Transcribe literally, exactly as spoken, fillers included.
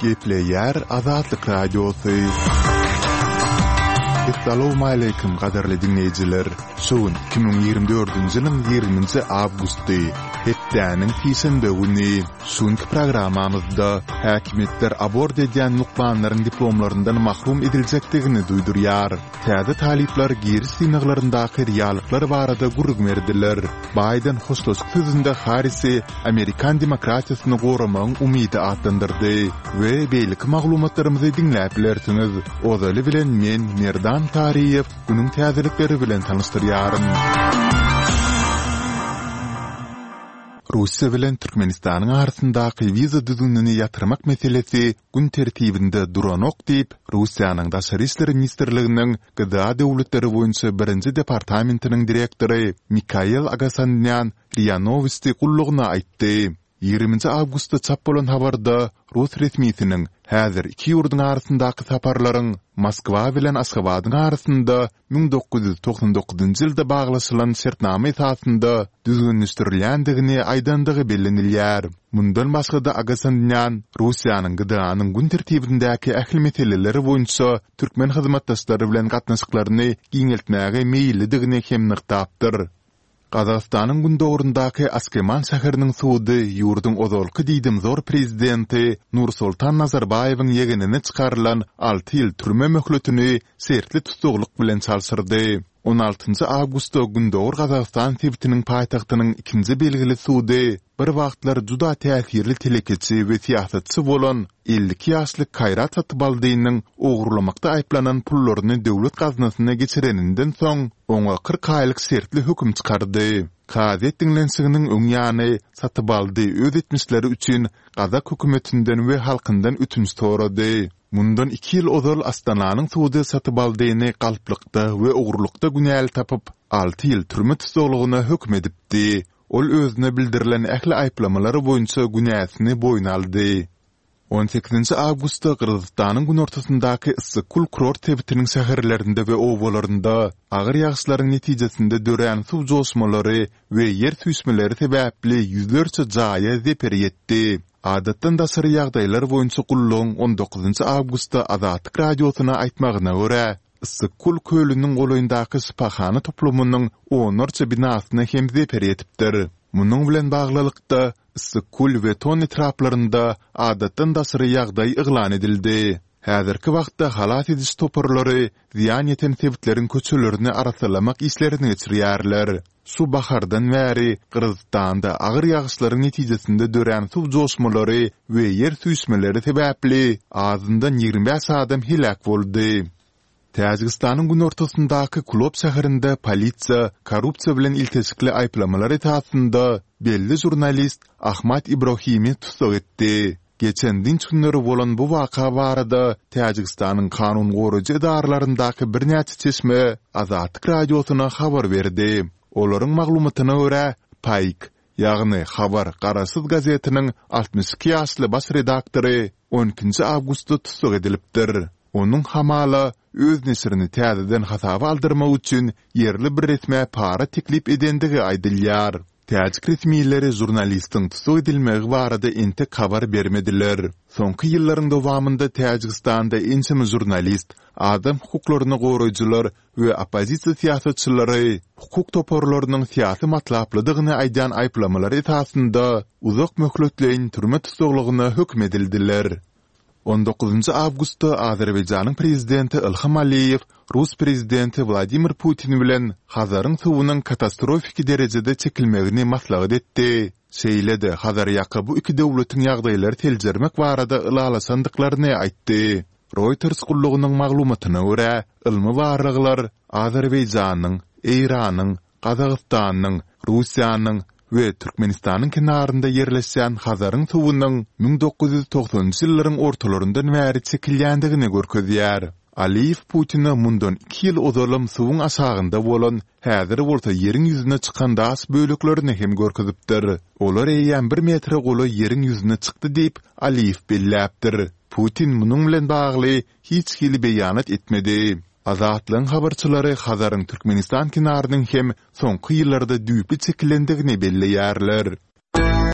Gepleýär Azatlyk Radiosy. Essalawmaleýkim gadyrly diňleýjiler! Şu gün iki müň ýigrimi dördünji ýylyň ýigriminji awgusty, hepdäniň sişenbe güni. Şu günki programmamyzda häkimiýetler abort edýän lukmanlaryň diplomlaryndan mahrum ediljekdigini duýdurýar. Täze talyplar giriş synaglaryndaky realyklar barada gürrüň berdiler. Baýden hoşlaşyk sözünde Harrisi amerikan demokratiýasyny goramagyň umydy atlandyrdy we beýleki maglumatlarymyzy diňläp bilersiňiz. Ozaly bilen men, Merdan Taryýew, günüň täzelikleri bilen tanyşdyrýaryn. Russiýa bilen Türkmenistanyň arasyndaky wiza düzgünini ýatyrmak meselesi gün tertibinde duranok diýip, Russiýanyň Daşary işler ministrliginiň G D A döwletleri boýunça birinji departamentiniň direktory Mikael Agasanýan R I A Nowosti gullugyna aýtdy. Ýigriminji awgustda çap bolan habarda rus resmisiniň häzir iki ýurduň arasyndaky saparlaryň Moskwa bilen Aşgabadyň arasynda müň dokuz ýüz togsan dokuzynjy ýylda baglaşylan şertnama esasynda düzgünleşdirilýändigini aýdandygy bellenilýär. Mundan başga-da Agasanýan Russiýanyň G D A-nyň gün tertibindäki ähli meseleleri boýunça türkmen hyzmatdaşlary bilen gatnaşyklaryny giňeltmäge meýillidigini hem nygtapdyr. Gazagystanyň gündogaryndaky Askeman şäheriniň sudy ýurduň ozalky diýdimzor prezidenti Nursultan Nazarbaýewiň ýegenine çykarylan alty ýyl türme möhletini şertli tussaglyk bilen çalşyrdy. On altynjy awgustda Gündogar Gazagystan sebitiniň paýtagtynyň ikinji belgili sudy bir wagtlar juda täsirli telekeçi we syýasatçy bolan elli iki ýaşly Kaýrat Satybaldynyň ogurlamakda aýyplanan pullaryny döwlet gaznasyna geçireninden soň, oňa kyrk aýlyk şertli höküm çykardy. Kazyýet diňlenişiginiň öň ýany Satybaldy öz etmişleri üçin gazak hökümetinden we halkyndan ötünç sorady. Mundan iki ýyl ozal Astananyň sudy Satybaldyny galplykda we ogurlykda günäli tapyp, alty ýyl türme tussaglygyna höküm edipdi. Ol özüne bildirilen ähli aýyplamalar boýunça günäsini boýun aldy. On sekizinji awgustda Gyrgyzystanyň günortasyndaky Yssyk-Kul kurort sebitiniň şäherlerinde we obalarynda agyr ýagyşlaryň netijesinde dörän suw joşmalary we ýer süýşmeleri sebäpli ýüzlerçe jaýa zeper ýetdi. Adatdan daşary ýagdaýlar boýunça gullugyň on dokuzynjy awgustda Azatlyk Radiosyna aýtmagyna görä, Yssyk-Kul kölüniň golaýyndaky şypahana toplumynyň onlarça binasyna hem zeper ýetipdir. Munuň bilen baglylykda, Yssyk-Kul we Ton etraplarynda adatdan daşary ýagdaý yglan edildi. Häzirki wagtda halas ediş toparlary zyýan ýeten sebitleriň köçelerini arassalamak işlerini geçirýärler. Şu bahardan bäri Gyrgyzystanda agyr ýagyşlaryň netijesinde dörän suw joşmalary we ýer süýşmeleri sebäpli azyndan ýigrimi bäş adam heläk boldy. Täjigistanyň günortasyndaky Kulob şäherinde polisiýa korrupsiýa bilen ilteşikli aýyplamalar esasynda belli žurnalist Ahmad Ibrohimi tussag etdi. Geçen dynç günleri bolan bu waka barada Täjigistanyň kanun goraýjy edaralaryndaky birnäçe çeşme Azatlyk Radiosyna habar berdi. Olaryň maglumatyna görä, Paýk, ýagny Habar garaşsyz gazetiniň altmyş iki ýaşly baş redaktory on ikinji awgustda tussag edilipdir. Onuň hamala öz neşirini täzeden hasaba aldyrmak üçin ýerli bir resmä para teklip edendigi aýdylýar. Täjik resmileri žurnalistiň tussag edilmegi barada entek habar bermediler. Soňky ýyllaryň dowamynda Täjigistanda ençeme žurnalist, adam hukuklaryny goraýjylar we oppozisiýa syýasatçylary hukuk toparlarynyň syýasy matlaplydygyny aýdýan aýyplamalar esasynda uzak möhletleýin türme tussaglygyna höküm edildiler. On dokuzynjy awgustda Azerbaýjanyň prezidenti Ilham Aliýew rus prezidenti Wladimir Putin bilen Hazaryň suwunyň katastrofiki derejede çekilmegini maslahat etdi, şeýle-de Hazarýaka bu iki döwletiň ýagdaýlary seljermek barada ylalaşandyklaryny aýtdy. Reuters gullugynyň maglumatyna görä, ylmy barlaglar Azerbaýjanyň, Eýranyň, Gazagystanyň, Russiýanyň we Türkmenistanyň kenarynda ýerleşýän Hazaryň suwunyň müň dokuz ýüz togsanynjy ýyllaryň ortalaryndan bäri çekilýändigini görkezýär. Aliýew Putine mundan iki ýyl ozalam suwuň aşagynda bolan, häzir bolsa ýeriň ýüzüne çykan daş böleklerini hem görkezipdir. Olar eýýäm bir metre golaý ýeriň ýüzüne çykdy diýip, Aliýew belläpdir. Putin munuň bilen bagly hiç hili beýanat etmedi. Azatlygyň habarçylary Hazaryň Türkmenistan kenarynyň hem soňky ýyllarda düýpli çekilendigini belleýärler.